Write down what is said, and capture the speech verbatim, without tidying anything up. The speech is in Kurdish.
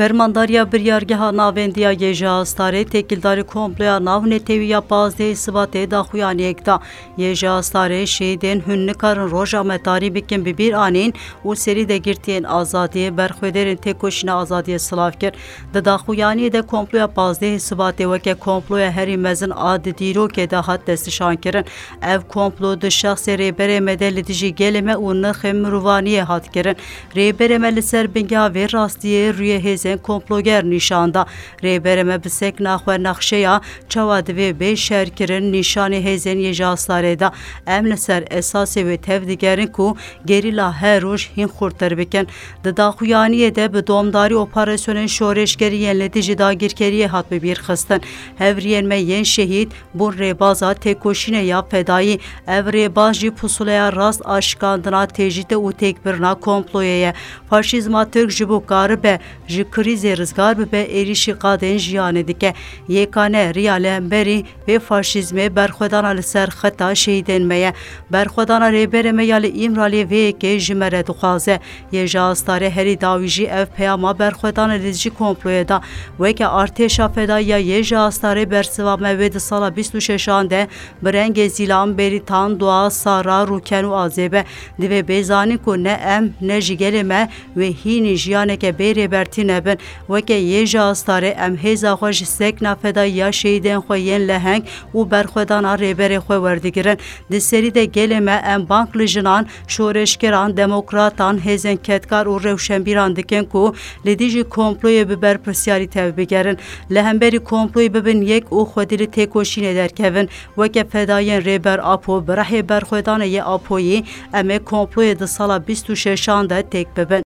Fermandariya Biryargeha Navendî ya G J Astarê têkildarî komploya navnetewî ya pazdehê Sibatê daxuyaniyek da. G J Astarê şehîdên hûn nikarin roja me tarî bikin bi bîr anîn û serî de girtiyên azadiyê, berxwedêrên têkoşîna azadiyê silav kir. Di daxuyaniyê de komploya pazdehê Sibatê weke komploya herî mezin a di dîrokê de hat destnîşankirin. Ev komplo di şexsê rêberê me de li dijî gelê me û nirxên mirovaniyê hat kirin. Rêberê me li ser bingeha vê rastiyê rûyê hêzên komploger nîşan da. Rêberê me bi sekna xwe nexşeya çawa divê bê şerkirin nîşanê hêzên G J Astarê da. Em li ser esasê wê tev digerin ku gerîla her roj hîn xurttir bikin. Di daxuyaniyê de bi domdarî operasyonên şoreşgerî yên li dijî dagirkeriyê hat bi bîr xistin. Hevriyên me yên şehîd bûn rêbaza têkoşînê ya fedayî. Ev rêbaz jî pusuleya rast a şikandina tecrîdê û têkbirina komployê ye. Faşîzma Tirk ji bo karibe ji krîzê rizgar bibe, êrîşî qadên jiyanê dike. Yekane riya li hemberî vê faşîzmê berxwedana li ser xeta şehîdên me ye. Berxwedana rêberê me ya li Îmraliyê vê yekê ji me re dixwaze. G J Astarê herî dawî jî ev peyama berxwedana li dijî komployê da. Weke artêşa fedayî ya G J Astarê bersiva me wê di sala bîst û şeşan de bi rengê zîlan, berîtan, dua, sara, rûken û azê be. Divê bê zanîn ku ne em ne jî gelê me wê hînî jiyaneke bê rêbertî nebin. Weke G J Astarê em hêza xwe ji sekna fedayî ya şehîdên xwe yên leheng û berxwedana rêberê xwe werdigirin. Di serî de gelê me em bang li jinan, şoreşgeran, demokratan, hêzên kedkar û rewşenbîran dikin ku li dijî komployê bi berpirsiyarî tevbigerin. Li hemberî komployê bibin yek û xwedî li têkoşînê derkevin. Weke fedayên Rêber Apo, bi rehê berxwedanê yê Apoyî, em ê komployê di sala bîst û şeşan de têk bibin.